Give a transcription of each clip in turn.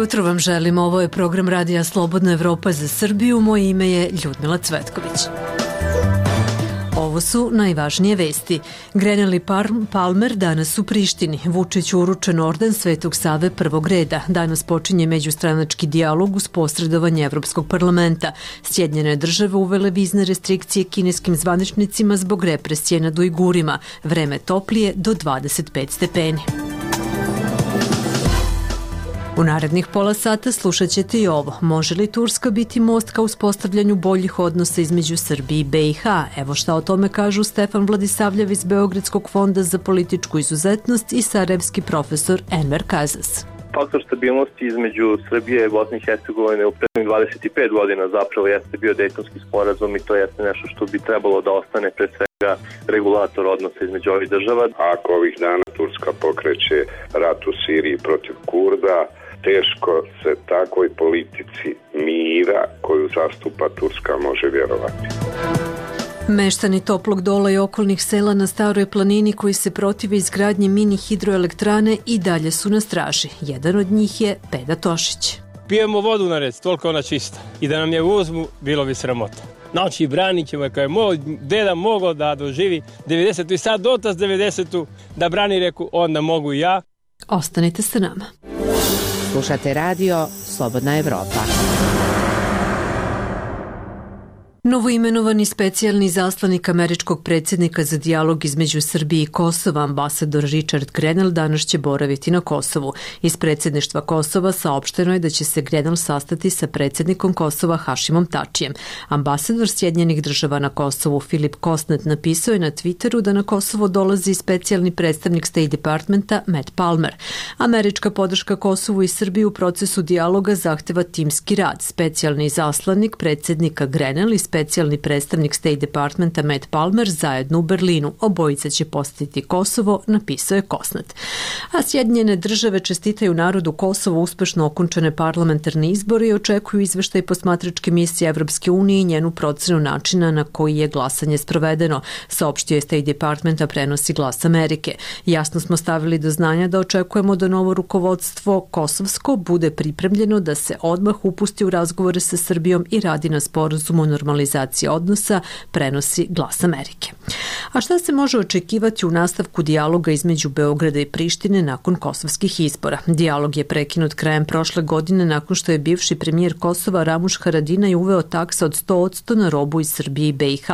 jutro vam želim. Ovo je program Radija Slobodna Evropa za Srbiju. Moje ime je Ljudmila Cvetković. Ovo su najvažnije vesti. Grenell i Palmer danas u Prištini. Vučiću uručen orden Svetog Save prvog reda. Danas počinje međustranački dijalog uz posredovanje Evropskog parlamenta. Sjedinjene države uvele vizne restrikcije kineskim zvaničnicima zbog represije nad Ujgurima. Vreme toplije do 25 stepeni. U narednih pola sata slušat ćete i ovo. Može li Turska biti most ka uspostavljanju boljih odnosa između Srbije i BiH? Evo šta o tome kažu Stefan Vladisavljev iz Beogradskog fonda za političku izuzetnost i sarajevski profesor Enver Kazas. Faktor stabilnosti između Srbije i Bosne i Hercegovine u prethodnih 25 godina zapravo jeste bio Dejtonski sporazum i to jeste nešto što bi trebalo da ostane pre svega regulator odnosa između ovih država. Ako ovih dana Turska pokreće rat u Siriji protiv Kurda, teško se takvoj politici mira koju zastupa Turska može vjerovati. Meštani Toplog Dola i okolnih sela na Staroj planini koji se protive izgradnje mini hidroelektrane i dalje su na straži. Jedan od njih je Peda Tošić. Pijemo vodu na rec, toliko ona čista. I da nam je uzmu, bilo bi sramota. Znači, branit ćemo, kao je moj deda mogao da doživi 90. i sad otac 90. da brani reku, onda mogu i ja. Ostanite sa nama. Slušate radio Slobodna Evropa. Novoimenovani specijalni izaslanik američkog predsjednika za dijalog između Srbije i Kosova, ambasador Richard Grenell, danas će boraviti na Kosovu. Iz predsjedništva Kosova saopšteno je da će se Grenell sastati sa predsjednikom Kosova Hašimom Tačijem. Ambasador Sjedinjenih država na Kosovu Filip Kosnet napisao je na Twitteru da na Kosovo dolazi specijalni predstavnik State Departmenta Matt Palmer. Američka podrška Kosovu i Srbiji u procesu dijaloga zahteva timski rad. Specijalni izaslanik predsjednika Grenell i specijalni predstavnik State Departmenta Matt Palmer zajedno u Berlinu. Obojica će posjetiti Kosovo, napisao je Kosnet. A Sjedinjene države čestitaju narodu Kosovo uspešno okončane parlamentarne izbore i očekuju izveštaj posmatračke misije Evropske unije i njenu procenu načina na koji je glasanje sprovedeno, saopštio je State Departmenta, prenosi Glas Amerike. Jasno smo stavili do znanja da očekujemo da novo rukovodstvo kosovsko bude pripremljeno da se odmah upusti u razgovore sa Srbijom i radi na sporazumu o normalizaciji odnosa, prenosi Glas Amerike. A šta se može očekivati u nastavku dijaloga između Beograda i Prištine nakon kosovskih izbora? Dijalog je prekinut krajem prošle godine nakon što je bivši premijer Kosova Ramuš Haradinaj uveo taksa od 100% na robu iz Srbije i BiH.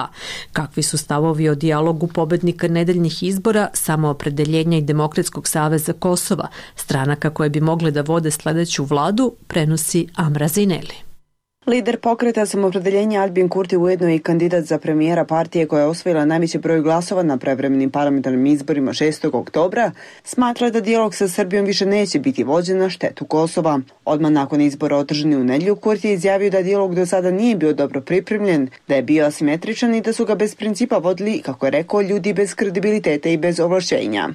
Kakvi su stavovi o dijalogu pobednika nedeljnih izbora, Samoopredeljenja i Demokratskog saveza Kosova, stranaka koje bi mogle da vode sledeću vladu, prenosi Amra Zineli. Lider pokreta Samoopredeljenja Albin Kurti ujedno je i kandidat za premijera partije koja je osvojila najveći broj glasova na prevremenim parlamentarnim izborima 6. oktobra, smatra da dijalog sa Srbijom više neće biti vođen na štetu Kosova. Odmah nakon izbora održani u nedjelju, Kurti je izjavio da dijalog do sada nije bio dobro pripremljen, da je bio asimetričan i da su ga bez principa vodili, kako je rekao, ljudi bez kredibiliteta i bez ovlašćenja.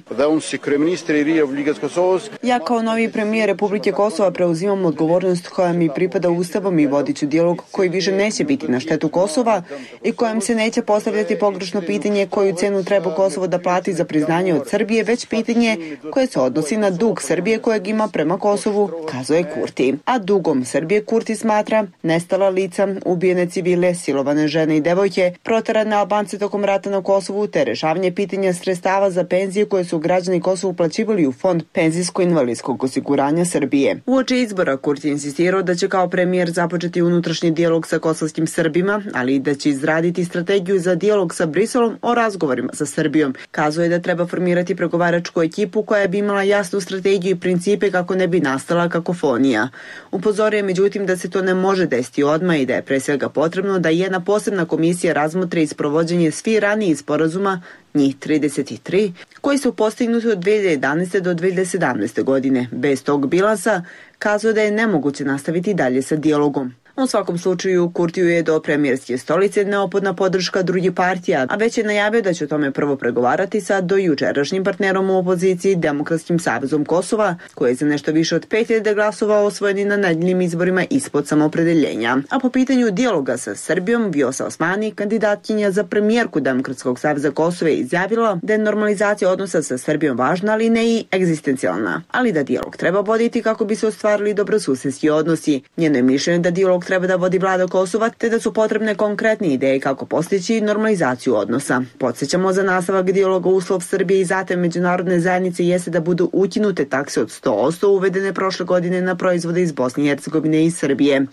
Ja kao novi premijer Republike Kosova preuzimam odgovornost koja mi pripada Ustavom i vodit dijalog koji više neće biti na štetu Kosova i kojem se neće postavljati pogrešno pitanje koju cenu treba Kosovo da plati za priznanje od Srbije, već pitanje koje se odnosi na dug Srbije kojeg ima prema Kosovu, kazao je Kurti. A dugom Srbije Kurti smatra nestala lica, ubijene civile, silovane žene i devojke, proterane Albance tokom rata na Kosovu, te rešavanje pitanja sredstava za penzije koje su građani Kosova uplaćivali u Fond penzijsko-invalidskog osiguranja Srbije. Uoči izbora Kurti insistirao da će kao premijer započeti unutrašnji dijalog sa kosovskim Srbima, ali i da će izraditi strategiju za dijalog sa Briselom o razgovorima sa Srbijom. Kazao je da treba formirati pregovaračku ekipu koja bi imala jasnu strategiju i principe kako ne bi nastala kakofonija. Upozorio je međutim da se to ne može desiti odmah i da je pre svega potrebno da jedna posebna komisija razmotri isprovođenje svih ranijih sporazuma, njih 33, koji su postignuti od 2011. do 2017. godine. Bez tog bilansa kazao da je nemoguće nastaviti dalje sa dijalogom. U svakom slučaju, Kurtiju je do premijerske stolice neophodna podrška drugih partija, a već je najavio da će o tome prvo pregovarati sa dojučerašnjim partnerom u opoziciji Demokratskim savezom Kosova, koji je za nešto više od 5000 glasova osvojeni na nedeljnim izborima ispod samoopredeljenja. A po pitanju dijaloga sa Srbijom, Vjosa Osmani, kandidatkinja za premijerku Demokratskog saveza Kosova, je izjavila da je normalizacija odnosa sa Srbijom važna, ali ne i egzistencijalna, ali da dijalog treba voditi kako bi se ostvarili dobrosusedski odnosi. Njeno je mišljenje da dijalog treba da vodi vlada Kosova, te da su potrebne konkretne ideje kako postići normalizaciju odnosa. Podsjećamo, za nastavak dijaloga uslov Srbije i zatem međunarodne zajednice jeste da budu ukinute takse od 100% uvedene prošle godine na proizvode iz Bosne i Hercegovine i Srbije.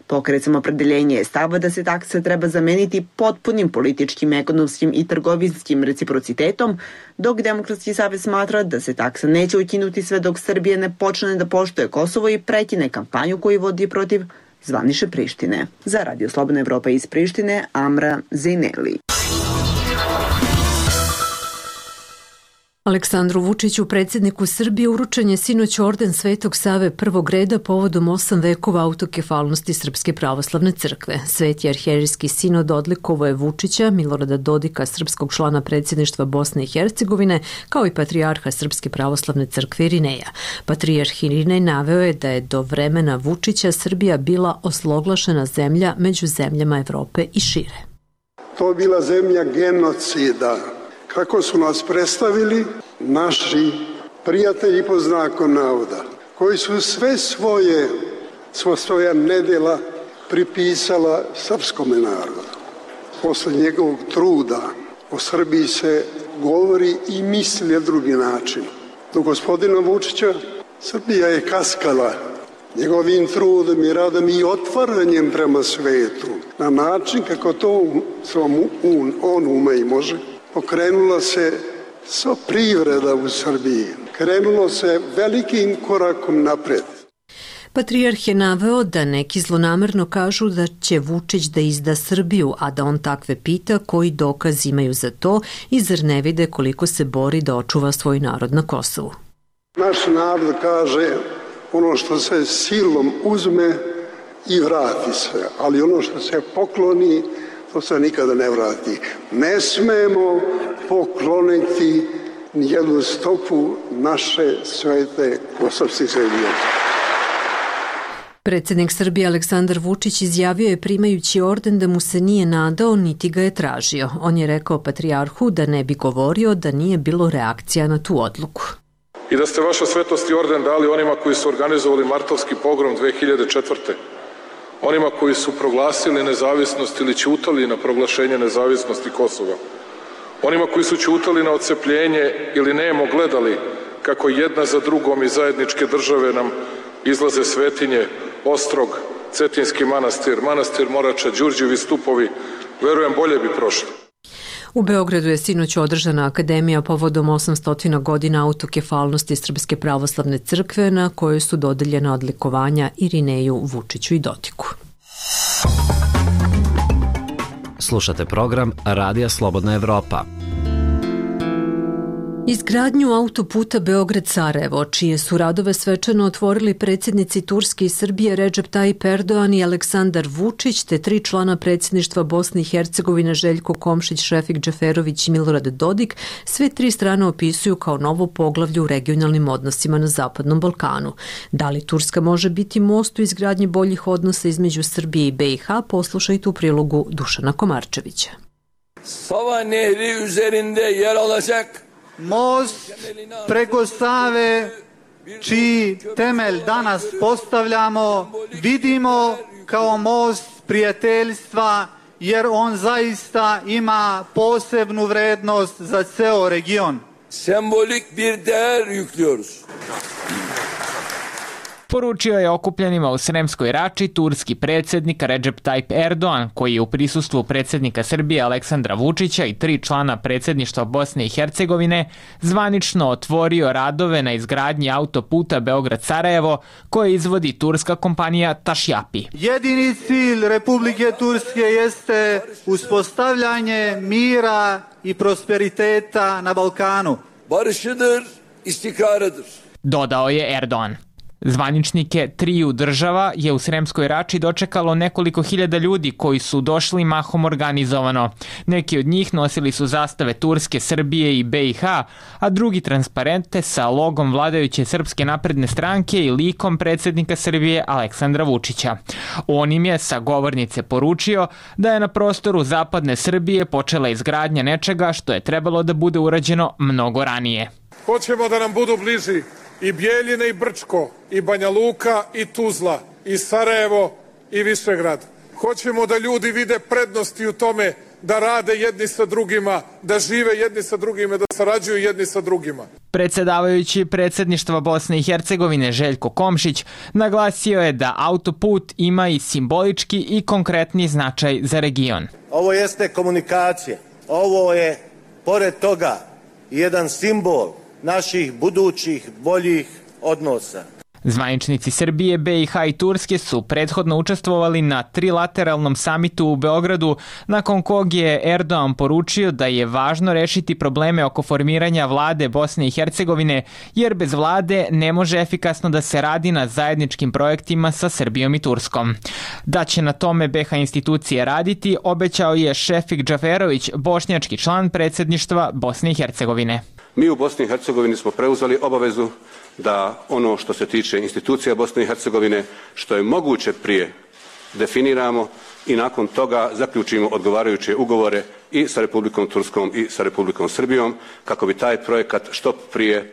Pokret Samoopredeljenje je stava da se takse treba zameniti potpunim političkim, ekonomskim i trgovinskim reciprocitetom, dok Demokratski savez smatra da se taksa neće ukinuti sve dok Srbija ne počne da poštuje Kosovo i prekine kampanju koju vodi protiv zvanične Prištine. Za Radio Slobodna Evropa iz Prištine, Amra Zejneli. Aleksandru Vučiću, predsjedniku Srbije, uručen je sinoć orden Svetog Save prvog reda povodom 8 vekova autokefalnosti Srpske pravoslavne crkve. Sveti arhijerejski sinod odlikovao je Vučića, Milorada Dodika, srpskog člana predsjedništva Bosne i Hercegovine, kao i patrijarha Srpske pravoslavne crkve Irineja. Patrijarh Irinej naveo je da je do vremena Vučića Srbija bila osloglašena zemlja među zemljama Evrope i šire. To je bila zemlja genocida. Kako su nas predstavili naši prijatelji pod znakom navoda, koji su svoja nedjela pripisala srpskome narodu. Posle njegovog truda o Srbiji se govori i misli na drugi način. Do gospodina Vučića Srbija je kaskala njegovim trudom i radom i otvaranjem prema svetu na način kako to on ume i može. Pokrenula se sva privreda u Srbiji. Krenulo se velikim korakom napred. Patrijarh je naveo da neki zlonamerno kažu da će Vučić da izda Srbiju, a da on takve pita koji dokaz imaju za to i zar ne vide koliko se bori da očuva svoj narod na Kosovu. Naš narod kaže ono što se silom uzme i vrati se, ali ono što se pokloni, to se nikada ne vrati. Ne smemo pokloniti nijednu stopu naše svete kosovske zemlje. Predsjednik Srbije Aleksandar Vučić izjavio je primajući orden da mu se nije nadao niti ga je tražio. On je rekao patrijarhu da ne bi govorio da nije bilo reakcija na tu odluku. I da ste vaša svetosti orden dali onima koji su organizovali martovski pogrom 2004. Onima koji su proglasili nezavisnost ili ćutali na proglašenje nezavisnosti Kosova. Onima koji su ćutali na odcepljenje ili nemo gledali kako jedna za drugom iz zajedničke države nam izlaze svetinje, Ostrog, Cetinski manastir, manastir Morača, Đurđevi stupovi, verujem bolje bi prošli. U Beogradu je sinoć održana akademija povodom 800 godina autokefalnosti Srpske pravoslavne crkve, na kojoj su dodeljena odlikovanja Irineju, Vučiću i Dodiku. Slušate program Radija Slobodna Evropa. Izgradnju autoputa Beograd-Sarajevo, čije su radove svečano otvorili predsjednici Turske i Srbije Recep Tayyip Erdogan i Aleksandar Vučić, te 3 člana predsjedništva Bosne i Hercegovine Željko Komšić, Šefik Džeferović i Milorad Dodik, sve 3 strane opisuju kao novo poglavlje u regionalnim odnosima na Zapadnom Balkanu. Da li Turska može biti most u izgradnji boljih odnosa između Srbije i BiH, poslušajte u prilogu Dušana Komarčevića. Sava Nehri üzerinde yer alacak most preko Save, čiji temelj danas postavljamo, vidimo kao most prijateljstva, jer on zaista ima posebnu vrednost za ceo region. Sembolik bir değer yüklüyoruz. Poručio je okupljenima u Sremskoj Rači turski predsjednik Recep Tayyip Erdogan, koji je u prisustvu predsjednika Srbije Aleksandra Vučića i 3 člana predsjedništva Bosne i Hercegovine zvanično otvorio radove na izgradnji autoputa Beograd-Sarajevo koje izvodi turska kompanija Tašjapi. Jedini cilj Republike Turske jeste uspostavljanje mira i prosperiteta na Balkanu. Barışıdır, istikrarıdır. Dodao je Erdogan. Zvaničnike triju država je u Sremskoj Rači dočekalo nekoliko hiljada ljudi koji su došli mahom organizovano. Neki od njih nosili su zastave Turske, Srbije i BiH, a drugi transparente sa logom vladajuće Srpske napredne stranke i likom predsjednika Srbije Aleksandra Vučića. On im je sa govornice poručio da je na prostoru zapadne Srbije počela izgradnja nečega što je trebalo da bude urađeno mnogo ranije. Hoćemo da nam budu bliži i Bjeljine i Brčko, i Banja Luka i Tuzla, i Sarajevo i Višegrad. Hoćemo da ljudi vide prednosti u tome da rade jedni sa drugima, da žive jedni sa drugima, da sarađuju jedni sa drugima. Predsjedavajući predsjedništva Bosne i Hercegovine Željko Komšić naglasio je da autoput ima i simbolički i konkretni značaj za region. Ovo jeste komunikacija, ovo je pored toga jedan simbol naših budućih boljih odnosa. Zvaničnici Srbije, BiH i Turske su prethodno učestvovali na trilateralnom samitu u Beogradu, nakon kog je Erdogan poručio da je važno rešiti probleme oko formiranja vlade Bosne i Hercegovine, jer bez vlade ne može efikasno da se radi na zajedničkim projektima sa Srbijom i Turskom. Da će na tome BiH institucije raditi, obećao je Šefik Džaferović, bošnjački član predsjedništva Bosne i Hercegovine. Mi u Bosni i Hercegovini smo preuzeli obavezu da ono što se tiče institucija Bosne i Hercegovine, što je moguće prije definiramo i nakon toga zaključimo odgovarajuće ugovore i sa Republikom Turskom i sa Republikom Srbijom kako bi taj projekat što prije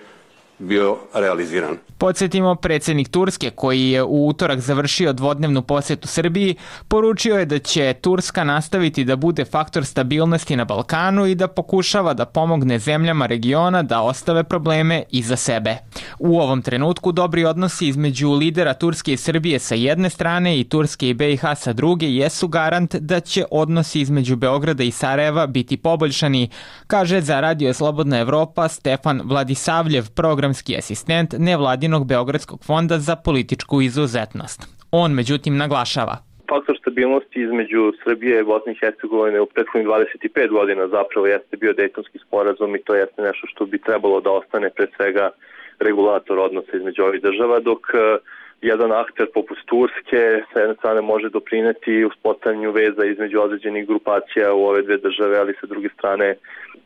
bio realiziran. Podsjetimo, predsjednik Turske, koji je u utorak završio dvodnevnu posjetu Srbiji, poručio je da će Turska nastaviti da bude faktor stabilnosti na Balkanu i da pokušava da pomogne zemljama regiona da ostave probleme iza sebe. U ovom trenutku dobri odnosi između lidera Turske i Srbije sa jedne strane i Turske i BiH sa druge jesu garant da će odnosi između Beograda i Sarajeva biti poboljšani, kaže za Radio Slobodna Evropa Stefan Vladisavljev, programski asistent nevladinog Beogradskog fonda za političku izuzetnost. On međutim naglašava: faktor stabilnosti između Srbije i Bosne i Hercegovine u prethodnih 25 godina zapravo jeste bio Dejtonski sporazum i to jeste nešto što bi trebalo da ostane pre svega regulator odnosa između ovih država, dok jedan akter poput Turske sa jedne strane može doprineti uspostavljanju veza između određenih grupacija u ove dve države, ali sa druge strane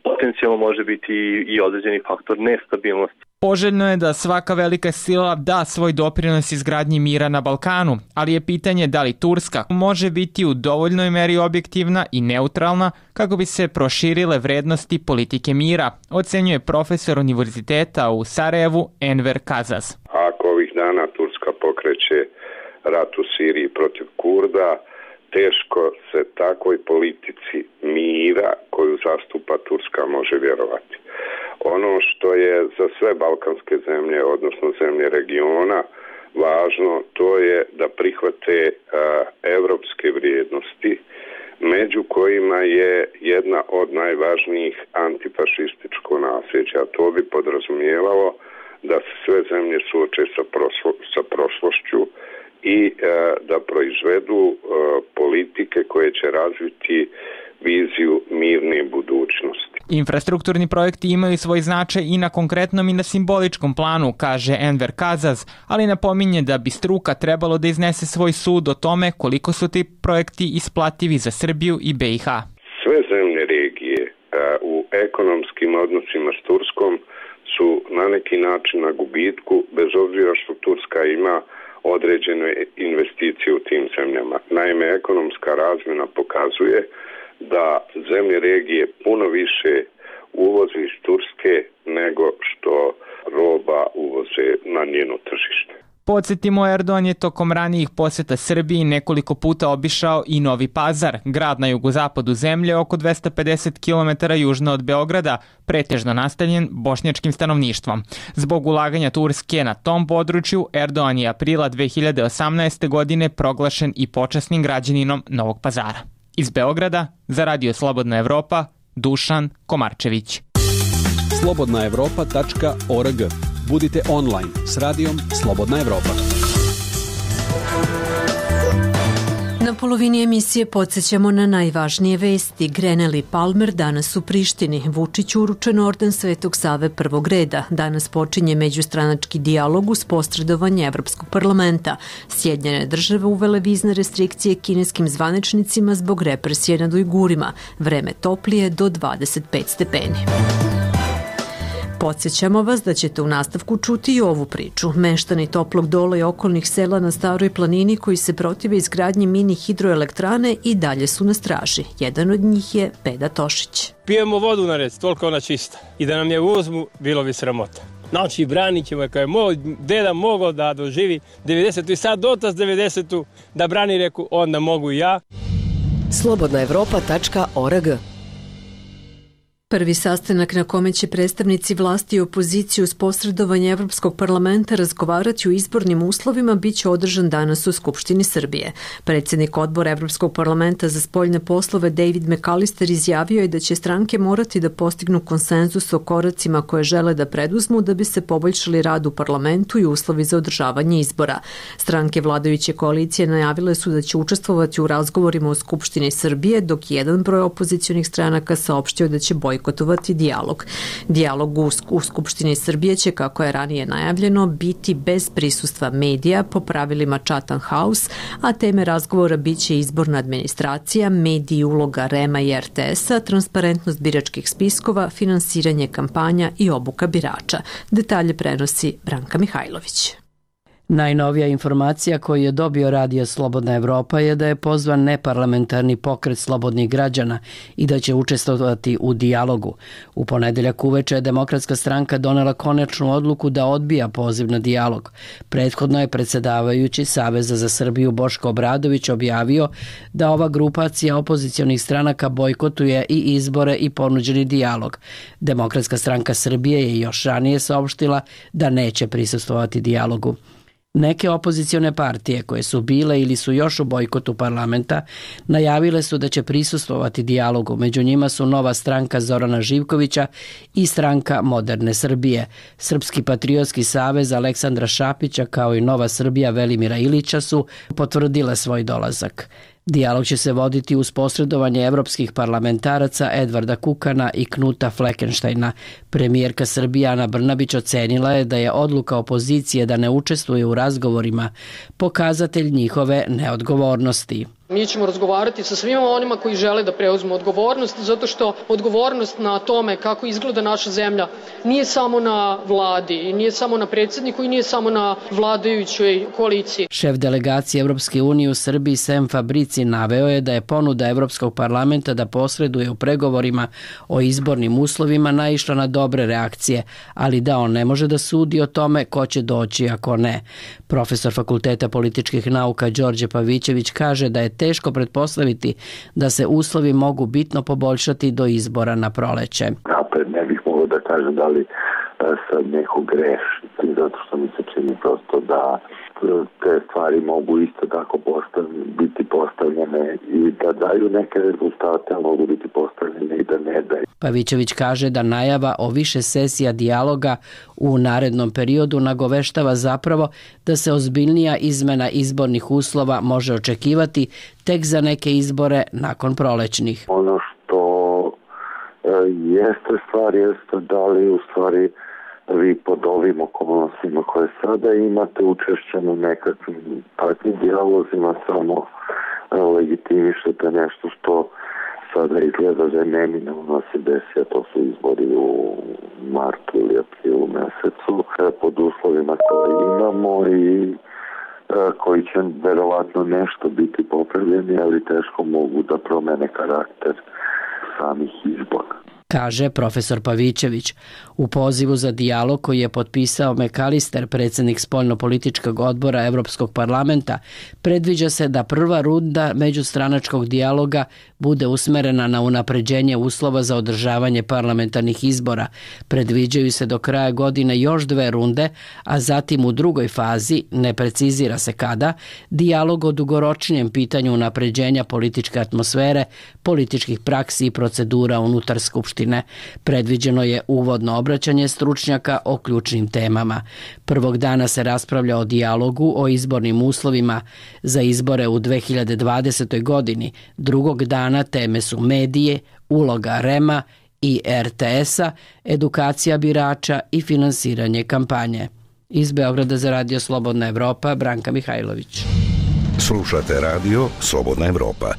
potencijalno može biti i određeni faktor nestabilnosti. Poželjno je da svaka velika sila da svoj doprinos izgradnji mira na Balkanu, ali je pitanje da li Turska može biti u dovoljnoj meri objektivna i neutralna kako bi se proširile vrednosti politike mira, ocenjuje profesor univerziteta u Sarajevu Enver Kazaz. Ako ovih dana Turska pokreće rat u Siriji protiv Kurda, teško se takvoj politici mira koju zastupa Turska može vjerovati. Ono što je za sve balkanske zemlje, odnosno zemlje regiona, važno, to je da prihvate evropske vrijednosti, među kojima je jedna od najvažnijih antifašističko nasljeđe, a to bi podrazumijevalo da se sve zemlje suoče sa prošlošću i da proizvedu politike koje će razviti viziju mirne budućnosti. Infrastrukturni projekti imaju svoj značaj i na konkretnom i na simboličkom planu, kaže Enver Kazaz, ali napominje da bi struka trebalo da iznese svoj sud o tome koliko su ti projekti isplativi za Srbiju i BiH. Sve zemlje regije u ekonomskim odnosima s Turskom su na neki način na gubitku, bez obzira što Turska ima određene investicije u tim zemljama. Naime, ekonomska razmjena pokazuje da zemlje regije puno više uvoze iz Turske nego što roba uvoze na njeno tržište. Podsjetimo, Erdogan je tokom ranijih posjeta Srbiji nekoliko puta obišao i Novi Pazar, grad na jugozapadu zemlje oko 250 km južno od Beograda, pretežno nastanjen bošnjačkim stanovništvom. Zbog ulaganja Turske na tom području, Erdogan je aprila 2018. godine proglašen i počasnim građaninom Novog Pazara. Iz Beograda, za Radio Slobodna Evropa, Dušan Komarčević. slobodnaevropa.org. Budite online s radijom Slobodna Evropa. Na polovini emisije podsjećamo na najvažnije vesti. Grenell i Palmer danas u Prištini. Vučiću uručen orden Svetog Save prvog reda. Danas počinje međustranački dijalog uz posredovanje Evropskog parlamenta. Sjedinjene države uvele vizne restrikcije kineskim zvaničnicima zbog represije nad Ujgurima. Vreme toplije do 25 stepeni. Podsjećamo vas da ćete u nastavku čuti i ovu priču. Meštani Toplog Dola i okolnih sela na Staroj planini koji se protive izgradnji mini hidroelektrane i dalje su na straži. Jedan od njih je Peda Tošić. Pijemo vodu na rec, toliko ona čista. I da nam je uzmu, bilo bi sramota. Znači, branit ćemo, kao je moj deda mogao da doživi 90. i sad otac 90. da brani, reku, onda mogu i ja. Slobodnaevropa.org. Prvi sastanak na kome će predstavnici vlasti i opozicije uz posredovanje Evropskog parlamenta razgovarati o izbornim uslovima biće održan danas u Skupštini Srbije. Predsjednik odbora Evropskog parlamenta za spoljne poslove David McAllister izjavio je da će stranke morati da postignu konsenzus o koracima koje žele da preduzmu da bi se poboljšali rad u parlamentu i uslovi za održavanje izbora. Stranke vladajuće koalicije najavile su da će učestvovati u razgovorima u Skupštini Srbije, dok jedan broj opozicionih stranaka saopštio da će bojkotovati dijalog. Dijalog u Skupštini Srbije će, kako je ranije najavljeno, biti bez prisustva medija po pravilima Chatham House, a teme razgovora biće izborna administracija, mediji, uloga REM-a i RTS-a, transparentnost biračkih spiskova, finansiranje kampanja i obuka birača. Detalje prenosi Branka Mihajlović. Najnovija informacija koju je dobio Radio Slobodna Evropa je da je pozvan neparlamentarni pokret slobodnih građana i da će učestvovati u dijalogu. U ponedeljak uveče je Demokratska stranka donela konačnu odluku da odbija poziv na dijalog. Prethodno je predsjedavajući Saveza za Srbiju Boško Obradović objavio da ova grupacija opozicionih stranaka bojkotuje i izbore i ponuđeni dijalog. Demokratska stranka Srbije je još ranije saopštila da neće prisustvovati dijalogu. Neke opozicione partije koje su bile ili su još u bojkotu parlamenta najavile su da će prisustvovati dijalogu. Među njima su Nova stranka Zorana Živkovića i Stranka Moderne Srbije. Srpski patriotski savez Aleksandra Šapića kao i Nova Srbija Velimira Ilića su potvrdile svoj dolazak. Dijalog će se voditi uz posredovanje evropskih parlamentaraca Edvarda Kukana i Knuta Fleckensteina. Premijerka Srbije Ana Brnabić ocenila je da je odluka opozicije da ne učestvuje u razgovorima pokazatelj njihove neodgovornosti. Mi ćemo razgovarati sa svima onima koji žele da preuzmu odgovornost, zato što odgovornost na tome kako izgleda naša zemlja nije samo na vladi, i nije samo na predsjedniku i nije samo na vladajućoj koaliciji. Šef delegacije Evropske unije u Srbiji Sem Fabrici naveo je da je ponuda Evropskog parlamenta da posreduje u pregovorima o izbornim uslovima naišla na dobre reakcije, ali da on ne može da sudi o tome ko će doći ako ne. Profesor Fakulteta političkih nauka Đorđe Pavićević kaže da je teško pretpostaviti da se uslovi mogu bitno poboljšati do izbora na proleće. Napred ne bih mogao da kažem da li sad neko greši, zato što mi se čini prosto da te stvari mogu isto tako biti postavljene i da daju neke rezultate, a mogu biti postavljene i da ne daju. Pavićević kaže da najava o više sesija dijaloga u narednom periodu nagoveštava zapravo da se ozbiljnija izmena izbornih uslova može očekivati tek za neke izbore nakon prolećnih. Ono što jeste stvar, jeste da li u stvari vi pod ovim okolnostima koje sada imate učešće na nekakvim takvim dijalozima samo legitimišete nešto što sada izgleda da je neminovno se desi, a to su izbori u martu ili aprilu mesecu pod uslovima koje imamo i koji će verovatno nešto biti popravljeni, ali teško mogu da promene karakter samih izbora, kaže profesor Pavićević. U pozivu za dijalog koji je potpisao McAllister, predsjednik spoljnopolitičkog odbora Evropskog parlamenta, predviđa se da prva runda međustranačkog dijaloga bude usmerena na unapređenje uslova za održavanje parlamentarnih izbora. Predviđaju se do kraja godine još 2 runde, a zatim u drugoj fazi, ne precizira se kada, dijalog o dugoročnijem pitanju unapređenja političke atmosfere, političkih praksi i procedura unutar Skupštine Skupštine. Predviđeno je uvodno obraćanje stručnjaka o ključnim temama. Prvog dana se raspravlja o dijalogu o izbornim uslovima za izbore u 2020. godini. Drugog dana teme su medije, uloga REM-a i RTS-a, edukacija birača i finansiranje kampanje. Iz Beograda za Radio Slobodna Evropa, Branka Mihajlović. Slušate Radio Slobodna Evropa.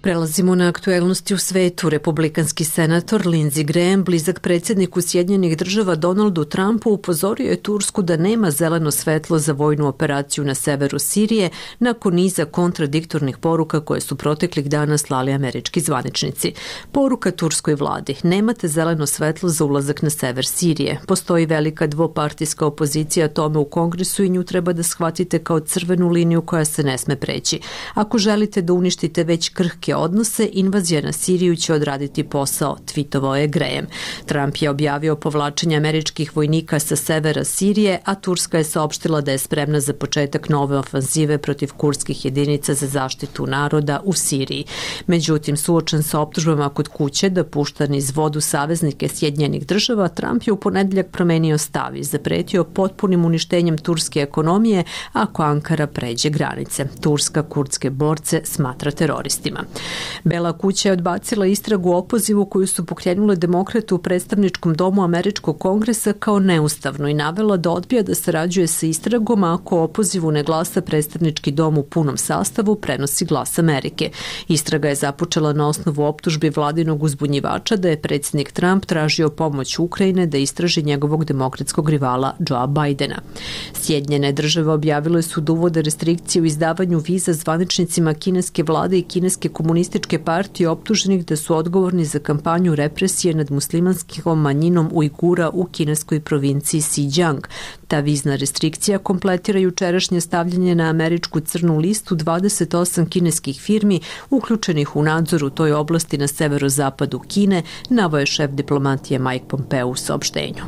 Prelazimo na aktuelnosti u svetu. Republikanski senator Lindsey Graham, blizak predsjedniku Sjedinjenih Država Donaldu Trumpu, upozorio je Tursku da nema zeleno svetlo za vojnu operaciju na severu Sirije nakon niza kontradiktornih poruka koje su proteklih dana slali američki zvaničnici. Poruka turskoj vladi: nemate zeleno svetlo za ulazak na sever Sirije. Postoji velika dvopartijska opozicija tome u Kongresu i nju treba da shvatite kao crvenu liniju koja se ne sme preći. Ako želite da uništite već krhke odnose, invazija na Siriju će odraditi posao, tvitovao je Graham. Trump je objavio povlačenje američkih vojnika sa severa Sirije, a Turska je saopštila da je spremna za početak nove ofanzive protiv kurdskih jedinica za zaštitu naroda u Siriji. Međutim, suočen sa optužbama kod kuće da pušta niz vodu saveznike Sjedinjenih Država, Trump je u ponedeljak promenio stav i zapretio potpunim uništenjem turske ekonomije ako Ankara pređe granice. Turska kurdske borce smatra teroristima. Bela kuća je odbacila istragu o opozivu koju su pokrenule demokrate u predstavničkom domu američkog kongresa kao neustavno i navela da odbija da sarađuje sa istragom ako o opozivu ne glasa predstavnički dom u punom sastavu, prenosi Glas Amerike. Istraga je započela na osnovu optužbi vladinog uzbunjivača da je predsjednik Trump tražio pomoć Ukrajine da istraži njegovog demokratskog rivala Joea Bidena. Sjedinjene Države objavile su da uvode restrikcije u izdavanju viza zvaničnicima kineske vlade i kineske komunističke partije optuženih da su odgovorni za kampanju represije nad muslimanskom manjinom Ujgura u kineskoj provinciji Xinjiang. Ta vizna restrikcija kompletira jučerašnje stavljanje na američku crnu listu 28 kineskih firmi uključenih u nadzor u toj oblasti na severozapadu Kine, naveo je šef diplomatije Mike Pompeo u saopštenju.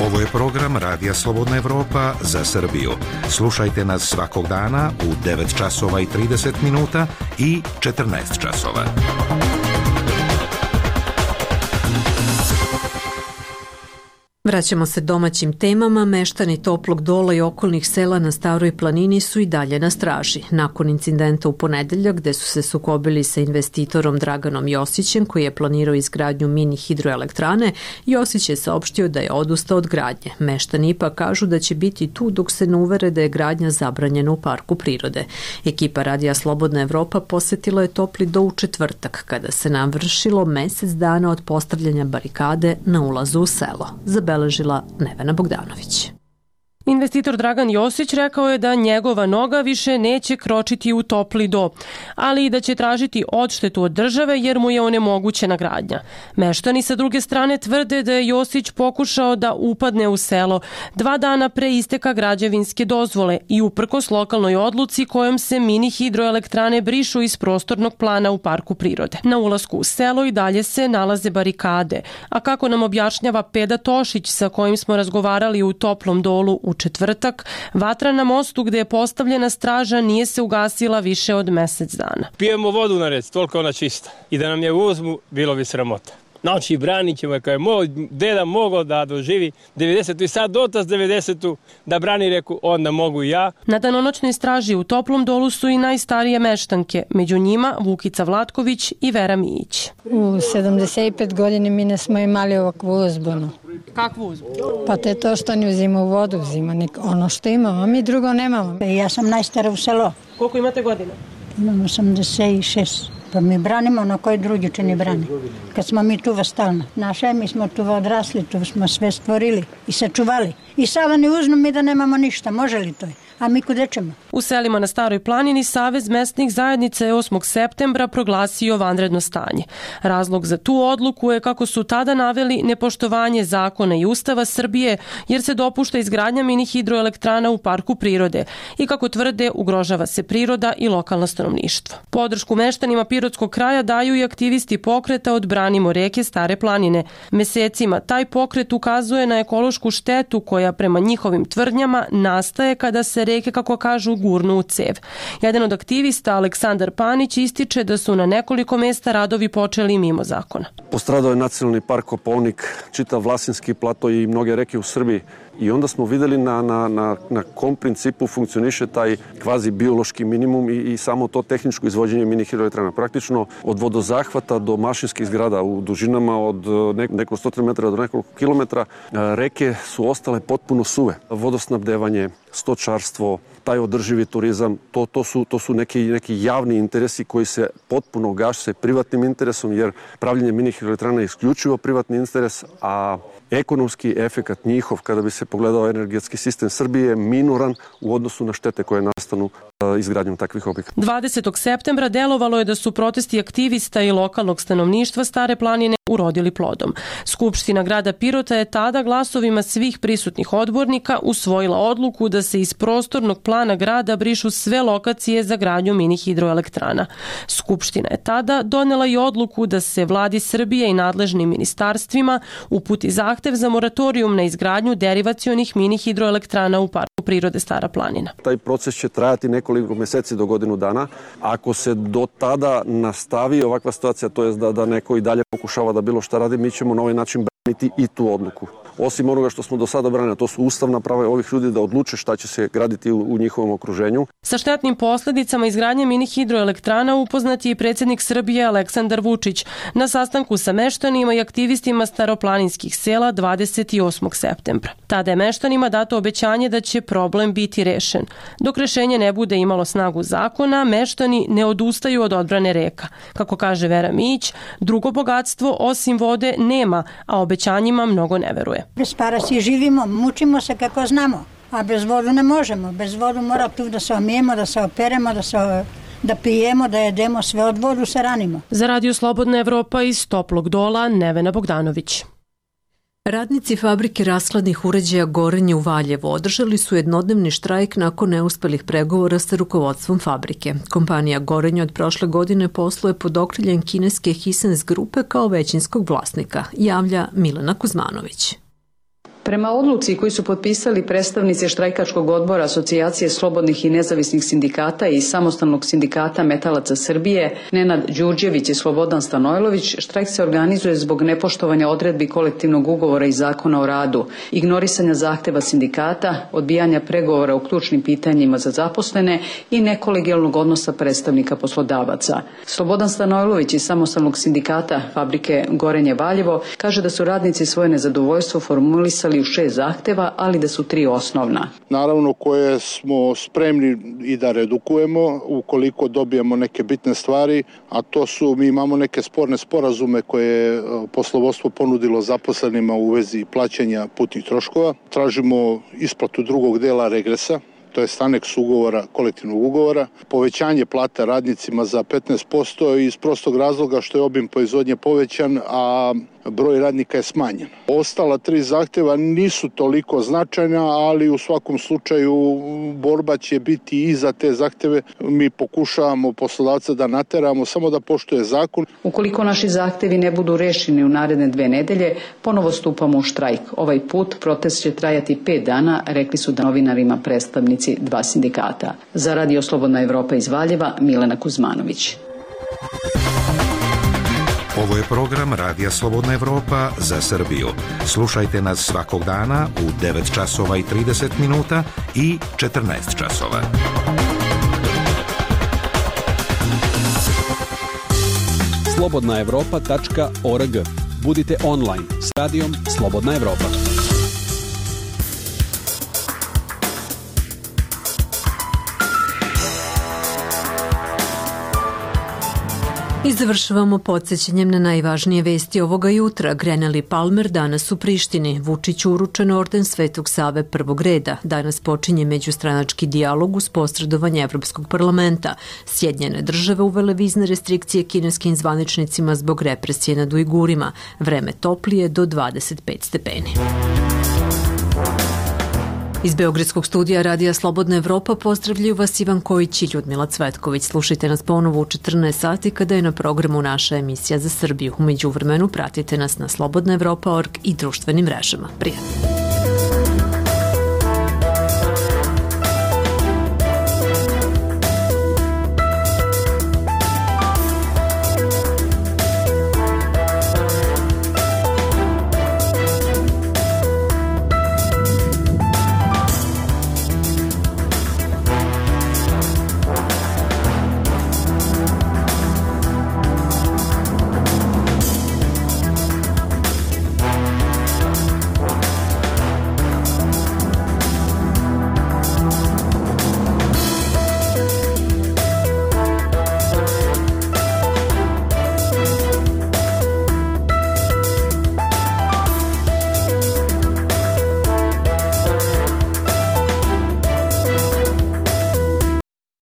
Ovo je program Radija Slobodna Evropa za Srbiju. Slušajte nas svakog dana u 9 časova i 30 minuta i 14 časova. Vraćamo se domaćim temama. Meštani Toplog Dola i okolnih sela na Staroj planini su i dalje na straži. Nakon incidenta u ponedeljak gde su se sukobili sa investitorom Draganom Josićem koji je planirao izgradnju mini hidroelektrane, Josić je saopštio da je odustao od gradnje. Meštani ipak kažu da će biti tu dok se ne uvere da je gradnja zabranjena u parku prirode. Ekipa Radija Slobodna Evropa posetila je Topli Do u četvrtak kada se navršilo mesec dana od postavljanja barikade na ulazu u selo. Zabeležila Nevena Bogdanović. Investitor Dragan Josić rekao je da njegova noga više neće kročiti u Topli Do, ali i da će tražiti odštetu od države jer mu je onemogućena gradnja. Meštani sa druge strane tvrde da je Josić pokušao da upadne u selo 2 dana pre isteka građevinske dozvole i uprkos lokalnoj odluci kojom se mini hidroelektrane brišu iz prostornog plana u parku prirode. Na ulasku u selo i dalje se nalaze barikade, a kako nam objašnjava Peda Tošić sa kojim smo razgovarali u Toplom Dolu u četvrtak, vatra na mostu gde je postavljena straža nije se ugasila više od mesec dana. Pijemo vodu na rec, toliko ona čista. I da nam je uzmu, bilo bi sramota. Znači, branit ćemo je, kao je moj deda mogao da doživi 90. i sad otac 90. da brani, reku, onda mogu i ja. Na danonoćnoj straži u Toplom Dolu su i najstarije meštanke, među njima Vukica Vlatković i Vera Mijić. U 75 godini mi ne smo imali ovakvu uzbunu. Kakvu uzbunu? Pa te to što ne uzima u vodu, uzima ono što imamo, a mi drugo nemamo. Ja sam najstara u selo. Koliko imate godina? Imam 86. Pa mi branimo na koji drugi će ne brani. Kad smo mi tuva stalno. Naše, mi smo tuva odrasli, tu smo sve stvorili i sačuvali. I sada ne uznu mi da nemamo ništa, može li to? A mi kude ćemo? U selima na Staroj planini Savez mesnih zajednica je 8. septembra proglasio vanredno stanje. Razlog za tu odluku je, kako su tada naveli, nepoštovanje zakona i Ustava Srbije, jer se dopušta izgradnja mini hidroelektrana u parku prirode i, kako tvrde, ugrožava se priroda i lokalno stanovništvo. Podršku meštanima Pirotskog kraja daju i aktivisti pokreta Odbranimo reke Stare planine. Mesecima taj pokret ukazuje na ekološku štetu koja prema njihovim tvrdnjama nastaje kada se reke, kako kažu, gurnu u cev. Jedan od aktivista, Aleksandar Panić, ističe da su na nekoliko mesta radovi počeli mimo zakona. Postradao je nacionalni park Kopaonik, čitav Vlasinski plato i mnoge reke u Srbiji. I onda smo videli na kom principu funkcioniše taj kvazi biološki minimum i samo to tehničko izvođenje mini hidroelektrana. Praktično od vodozahvata do mašinskih zgrada u dužinama od nekoliko 100 metara do nekoliko kilometra reke su ostale potpuno suve. Vodosnabdevanje, stočarstvo, taj održivi turizam, to su neki javni interesi koji se potpuno gase privatnim interesom, jer pravljenje mini hidroelektrana je isključivo privatni interes, a ekonomski efekat njihov, kada bi se pogledao energetski sistem Srbije, je minoran u odnosu na štete koje nastanu izgradnjom takvih objekata. 20. septembra delovalo je da su protesti aktivista i lokalnog stanovništva Stare planine urodili plodom. Skupština grada Pirota je tada glasovima svih prisutnih odbornika usvojila odluku da se iz prostornog plana grada brišu sve lokacije za gradnju mini hidroelektrana. Skupština je tada donela i odluku da se vladi Srbije i nadležnim ministarstvima uputi zahtev za moratorijum na izgradnju derivacionih mini hidroelektrana u Parku prirode Stara planina. Taj proces će trajati nekoliko meseci do godinu dana. Ako se do tada nastavi ovakva situacija, to je da neko i dalje pokušava da bilo šta radi, mi ćemo na ovaj način braniti i tu odluku. Osim onoga što smo do sada branili, to su ustavna prava ovih ljudi da odluče šta će se graditi u njihovom okruženju. Sa štetnim posledicama izgradnje mini hidroelektrana upoznat je i predsjednik Srbije Aleksandar Vučić na sastanku sa meštanima i aktivistima staroplaninskih sela 28. septembra. Tada je meštanima dato obećanje da će problem biti rešen. Dok rešenje ne bude imalo snagu zakona, meštani ne odustaju od odbrane reka. Kako kaže Vera Mić, drugo bogatstvo osim vode nema, a obećanjima mnogo ne veruje. Bez para si živimo, mučimo se kako znamo, a bez vodu ne možemo. Bez vodu mora tu da se omijemo, da se operemo, da pijemo, da jedemo, sve od vodu se ranimo. Za Radio Slobodna Evropa iz Toplog Dola, Nevena Bogdanović. Radnici fabrike rashladnih uređaja Gorenje u Valjevu održali su jednodnevni štrajk nakon neuspelih pregovora sa rukovodstvom fabrike. Kompanija Gorenje od prošle godine posluje pod okriljem kineske Hisense grupe kao većinskog vlasnika, javlja Milena Kuzmanović. Prema odluci koju su potpisali predstavnici štrajkačkog odbora Asocijacije slobodnih i nezavisnih sindikata i Samostalnog sindikata metalaca Srbije, Nenad Đurđević i Slobodan Stanojlović, štrajk se organizuje zbog nepoštovanja odredbi kolektivnog ugovora i zakona o radu, ignorisanja zahteva sindikata, odbijanja pregovora u ključnim pitanjima za zaposlene i nekolegijalnog odnosa predstavnika poslodavaca. Slobodan Stanojlović iz Samostalnog sindikata fabrike Gorenje Valjevo kaže da su radnici svoje nezadovoljstvo formulisali u 6 zahteva, ali da su 3 osnovna. Naravno koje smo spremni i da redukujemo ukoliko dobijemo neke bitne stvari, a to su, mi imamo neke sporne sporazume koje je poslovodstvo ponudilo zaposlenima u vezi plaćanja putnih troškova. Tražimo isplatu drugog dela regresa, to je aneks ugovora, kolektivnog ugovora, povećanje plata radnicima za 15% iz prostog razloga što je obim proizvodnje povećan, a broj radnika je smanjen. Ostala 3 zahteva nisu toliko značajna, ali u svakom slučaju borba će biti i za te zahteve. Mi pokušavamo poslodavca da nateramo samo da poštuje zakon. Ukoliko naši zahtevi ne budu rešeni u naredne 2 nedelje, ponovo stupamo u štrajk. Ovaj put protest će trajati 5 dana, rekli su da novinarima predstavnici 2 sindikata. Za Radio Slobodna Evropa iz Valjeva, Milena Kuzmanović. Ovo je program Radija Slobodna Evropa za Srbiju. Slušajte nas svakog dana u 9 časova i 30 minuta i 14 časova. slobodnaevropa.org. Budite online s radijom Slobodna Evropa. I završavamo podsjećanjem na najvažnije vesti ovoga jutra. Grenell i Palmer danas u Prištini. Vučiću uručen orden Svetog Save prvog reda. Danas počinje međustranački dijalog uz posredovanje Evropskog parlamenta. Sjedinjene države uvele vizne restrikcije kineskim zvaničnicima zbog represije nad Ujgurima. Vreme toplije do 25 stepeni. Iz Beogradskog studija Radija Slobodna Evropa pozdravljaju vas Ivan Kojić i Ljudmila Cvetković. Slušajte nas ponovo u 14 sati kada je na programu naša emisija za Srbiju. U međuvremenu pratite nas na slobodnaevropa.org i društvenim mrežama. Prijatno.